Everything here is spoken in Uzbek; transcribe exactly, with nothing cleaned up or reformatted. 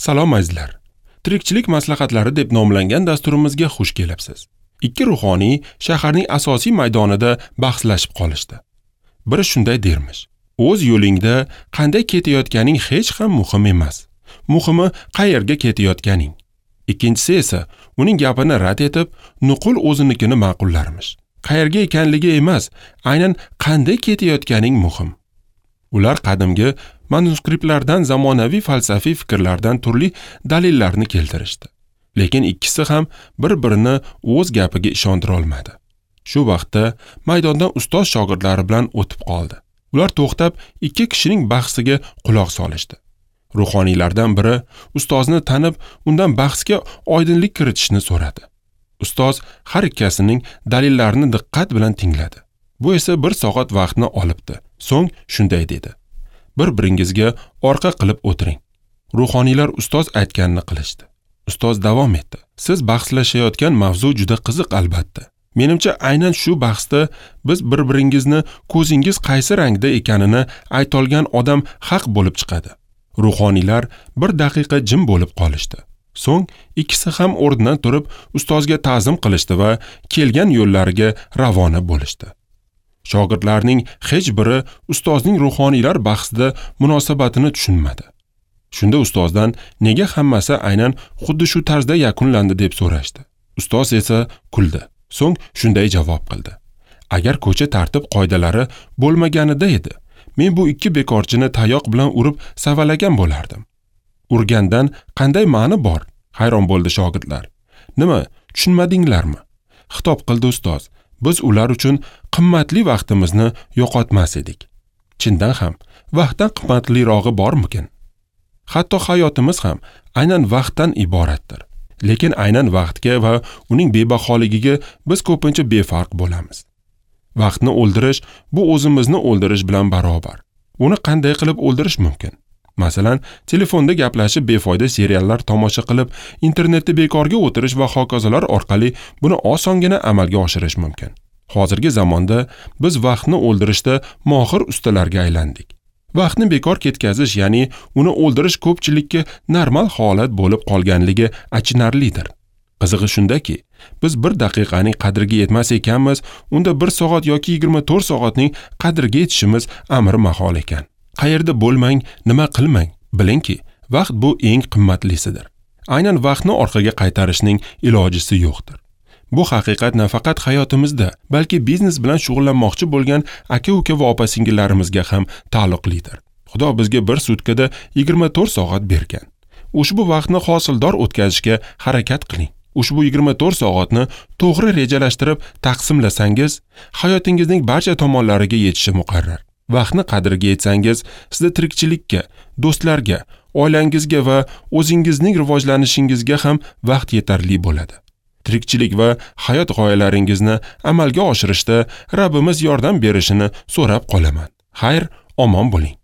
Salom azizlar. Tirikchilik maslahatlari deb nomlangan dasturimizga xush kelibsiz. Ikki ruhoniy shaharning asosiy maydonida bahslashib qolishdi. Biri shunday dermish: "O'z yo'lingda qanday ketayotganing hech ham muhim emas. Muhimi qayerga ketayotganing." Ikkinchisi esa uning gapini rad etib, nuqul o'zinikini ma'qullarmish. Qayerga ekanligi emas, aynan qanday ketayotganing muhim. Ular qadimgi manuskriptlardan, zamonaviy falsafiy fikrlardan turli dalillarni keltirishdi. Lekin ikkisi ham bir-birini o'z gapiga ishontira olmadi. Shu vaqtda maydondan ustoz shogirdlari bilan o'tib qoldi. Ular to'xtab ikki kishining bahsiga quloq solishdi. Ruhoniylardan biri ustozni tanib, undan bahsga oydinlik kiritishni so'radi. Ustoz har ikkasining dalillarini diqqat bilan tingladi. Bu esa bir soat vaqtni olibdi. So'ng shunday dedi: "Bir-biringizga orqa qilib o'tiring." Ruhoniylar ustoz aytganini qilishdi. Ustoz davom etdi: "Siz bahslashayotgan mavzu juda qiziq albatta. Menimcha aynan shu bahsda biz bir-biringizni ko'zingiz qaysi rangda ekanini aytolgan odam haq bo'lib chiqadi." Ruhoniylar bir daqiqa jim bo'lib qolishdi. So'ng ikkisi ham o'rnidan turib ustozga ta'zim qilishdi va kelgan yo'llariga ravona bo'lishdi. Shogirdlarning hech biri ustozning ruhoniylar bahsida munosabatini tushunmadi. Shunda ustozdan nega hammasi aynan xuddi shu tarzda yakunlandi deb so'rashdi. Ustoz esa kuldi. So'ng shunday javob qildi: "Agar ko'cha tartib qoidalari bo'lmaganida edi, men bu ikki bekorchini tayoq bilan urib savalagan bo'lardim." Urgandan qanday ma'ni bor? Hayron bo'ldi shogirdlar. "Nima, tushunmadinglarmi?" xitob qildi ustoz. "Biz ular uchun qimmatli vaqtimizni yo'qotmas edik." Chindan ham vaqtdan qimmatlirog'i bormikin? Hatto hayotimiz ham aynan vaqtdan iboratdir. Lekin aynan vaqtga va uning bebaholigiga biz ko'pincha befarq bo'lamiz. Vaqtni o'ldirish bu o'zimizni o'ldirish bilan barobar. Uni qanday qilib o'ldirish mumkin? Masalan, telefonda gaplashib, befoyda seriallar tomosha qilib, internetda bekorga o'tirish va hokazolar orqali buni osongina amalga oshirish mumkin. Hozirgi zamonda biz vaqtni o'ldirishda mohir ustalarga aylandik. Vaqtni bekor ketkazish, ya'ni uni o'ldirish ko'pchilikka normal holat bo'lib qolganligi achinarlidir. Qizig'i shundaki, biz bir daqiqaning qadriga yetmas ekanmiz, unda bir soat yoki yigirma to'rt soatning qadriga yetishimiz amri mahol ekan. Qayerda bo'lmang, nima qilmang, bilingki, vaqt bu eng qimmatlisidir. Aynan vaqtni orqaga qaytarishning ilojisi yo'qdir. Bu haqiqat nafaqat hayotimizda, balki biznes bilan shug'ullanmoqchi bo'lgan aka-uka va opa-singillarimizga ham taalluqlidir. Xudo bizga bir sutkada yigirma to'rt soat bergan. Ushbu vaqtni hosildor o'tkazishga harakat qiling. Ushbu yigirma to'rt soatni to'g'ri rejalashtirib taqsimlasangiz, hayotingizning barcha tomonlariga yetishi muqarrar. Vaqtni qadriga yetsangiz, sizda tirikchilikka, do'stlarga, oilangizga va o'zingizning rivojlanishingizga ham vaqt yetarli bo'ladi. Tirikchilik va hayot g'oyalaringizni amalga oshirishda Rabbimiz yordam berishini so'rab qolaman. Xayr, omon bo'ling.